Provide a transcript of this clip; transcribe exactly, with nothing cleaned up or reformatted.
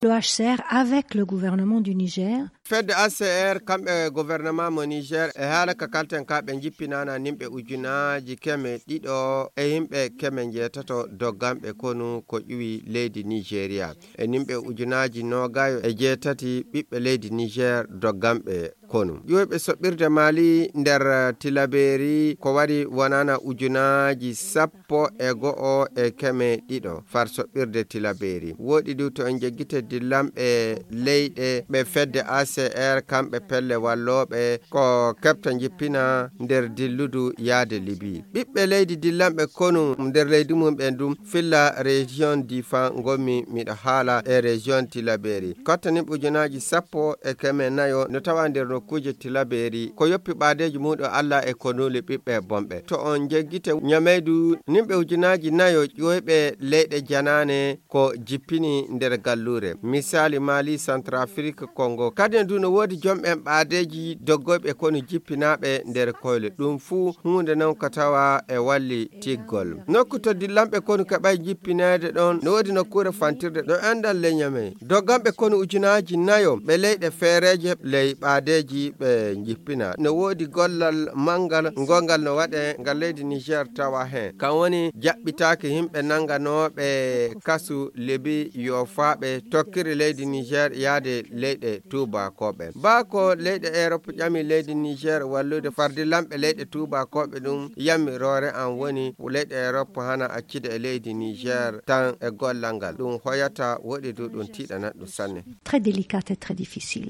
L'O H C R avec le gouvernement du Niger. Fedde A C R kamɓe gouvernement mo Niger e haala ka kalten ka ɓe jippinana nimɓe ujunaaji keme ɗiɗo e yimɓe keme njeetato dogganɓe konu ko ƴuwi leydi Nigeria. E nimɓe ujunaaji noogayo e jeetati ɓiɓɓe leydi Niger dogganɓe konu. Ƴuwiɓe soɓɓirde Mali nder Tilaberi ko wari wonana ujunaaji sappo e go'o e keme ɗiɗo far soɓɓirde Tilaberi. Woɗi du to en jeggite dillanɓe leyɗe ɓe fedde A C R kamɓe pelle wallooɓe ko keɓta jippina nder dilludu yaade Libi. Ɓiɓɓe leydi dillanɓe konu nder leydi mum ɓen ɗum filla région Difa ngonmi miɗo haala e région Tilaberi. Kottaniɓe ujunaaji sappo e keme nayo no tawa nder nokkuuje Tilaberi ko yoppi ɓaadeeji muɗum Allah e konuuli ɓiɓɓe bonɓe. To on jeggite Ñameydu nimɓe ujunaaji nayo ƴoyɓe leyɗe janaane ko jippini nder galluure. Misali Mali, Centrafrique, Congo. Kadi en du no woodi jomɓen ɓaadeeji doggoyɓe konu jippinaaɓe nder koyle. Ɗum fuu huunde non ko tawa e walli tiggol. Nokku to dillanɓe konu keɓay jippineede ɗon no woodi nokkuure fantirde ɗo enɗan ley Ñamey. Dogganɓe konu ujunaaji nayo ɓe leyɗe feereeje ley ɓaadeeji ɓe jippina. No woodi gollal manngal ngongal no waɗe ngal leydi Niger tawa heen. Kan woni jaɓɓitaaki yimɓe nannganooɓe kasu Libi yoofaaɓe tokkiri leydi Niger yaade leyɗe tuubakooɓe. Baa ko leyɗe Europe ƴami leydi Niger wallude far dillanɓe leyɗe tuubakooɓe ɗum yammiroore an woni leyɗe Europe hana accida e leydi Niger tan e gollal ngal. Ɗum hoyata woɗi du ɗum tiiɗanat ɗum sanne. Très délicate et très difficile.